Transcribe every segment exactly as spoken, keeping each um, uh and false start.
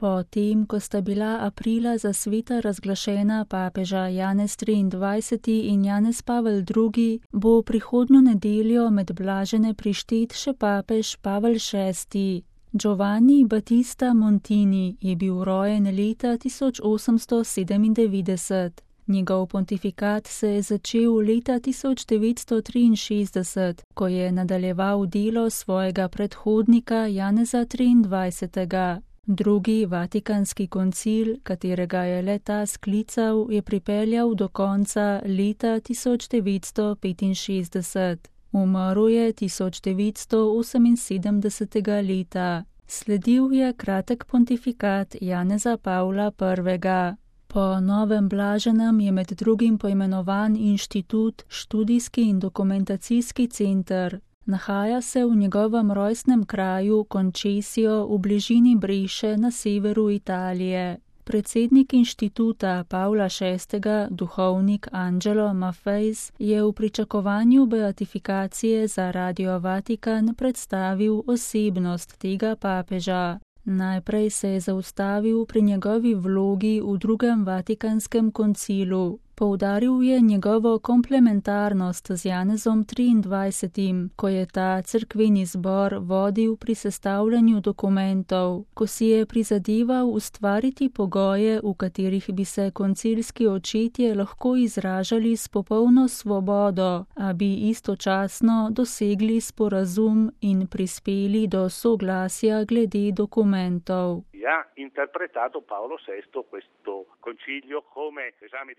Potem, ko sta bila aprila za sveta razglašena papeža Janez triindvajseti in Janez Pavel drugi, bo prihodnjo nedeljo med blažene prištet še papež Pavel šesti. Giovanni Battista Montini je bil rojen leta tisoč osemsto sedemindevetdeset. Njegov pontifikat se je začel leta tisoč devetsto triinšestdeset, ko je nadaljeval delo svojega predhodnika Janeza triindvajsetega. Drugi vatikanski koncil, katerega je le ta sklical, je pripeljal do konca leta tisoč devetsto petinšestdeset. Umrl je tisoč devetsto oseminsedemdesetega leta. Sledil je kratek pontifikat Janeza Pavla prvega. Po novem blaženem je med drugim poimenovan inštitut, študijski in dokumentacijski center. Nahaja se v njegovem rojstnem kraju Concesio v bližini Breše na severu Italije. Predsednik inštituta Pavla šestega, duhovnik Angelo Maffeis, je v pričakovanju beatifikacije za Radio Vatikan predstavil osebnost tega papeža. Najprej se je zaustavil pri njegovi vlogi v drugem vatikanskem koncilu. Poudaril je njegovo komplementarnost z Janezom triindvajsetim, ko je ta cerkveni zbor vodil pri sestavljanju dokumentov, ko si je prizadeval ustvariti pogoje, v katerih bi se koncilski očetje lahko izražali s popolno svobodo, a bi istočasno dosegli sporazum in prispeli do soglasja glede dokumentov.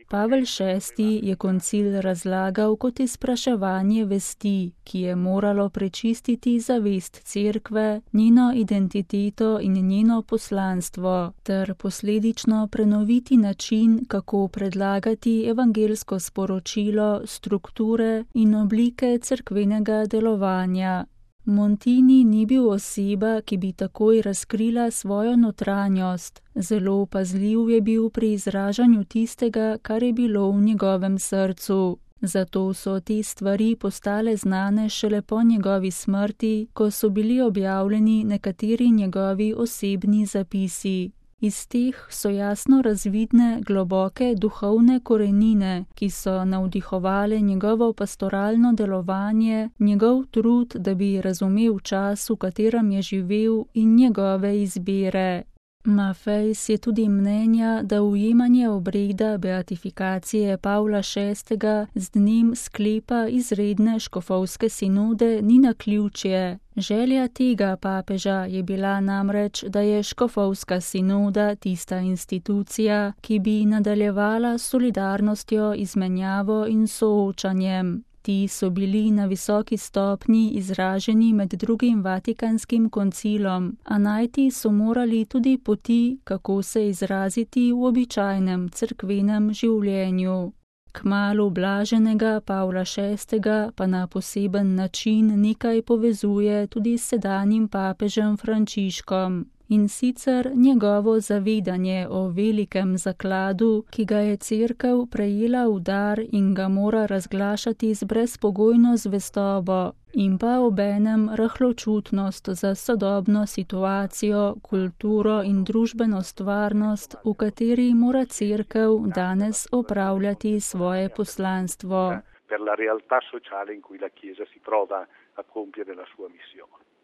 Pavel šesti je koncil razlagal kot izpraševanje vesti, ki je moralo prečistiti zavest cerkve, njeno identiteto in njeno poslanstvo, ter posledično prenoviti način, kako predlagati evangelsko sporočilo, strukture in oblike cerkvenega delovanja. Montini ni bil oseba, ki bi takoj razkrila svojo notranjost. Zelo pazljiv je bil pri izražanju tistega, kar je bilo v njegovem srcu. Zato so te stvari postale znane šele po njegovi smrti, ko so bili objavljeni nekateri njegovi osebni zapisi. Iz teh so jasno razvidne globoke duhovne korenine, ki so navdihovale njegovo pastoralno delovanje, njegov trud, da bi razumel čas, v katerem je živel, in njegove izbire. Maffeis je tudi mnenja, da ujemanje obreda beatifikacije Pavla šestega z dnem sklepa izredne škofovske sinode ni naključje. Želja tega papeža je bila namreč, da je škofovska sinoda tista institucija, ki bi nadaljevala s solidarnostjo, izmenjavo in soočanjem. Ti so bili na visoki stopnji izraženi med drugim vatikanskim koncilom, a najti so morali tudi poti, kako se izraziti v običajnem cerkvenem življenju. Kmalu blaženega Pavla šestega pa na poseben način nekaj povezuje tudi s sedanjim papežem Frančiškom. In sicer njegovo zavedanje o velikem zakladu, ki ga je cerkev prejela v dar in ga mora razglašati z brezpogojno zvestobo, in pa obenem rahločutnost za sodobno situacijo, kulturo in družbeno stvarnost, v kateri mora cerkev danes opravljati svoje poslanstvo. Per la realtà sociale in cui la Chiesa si trova a compiere la sua missione.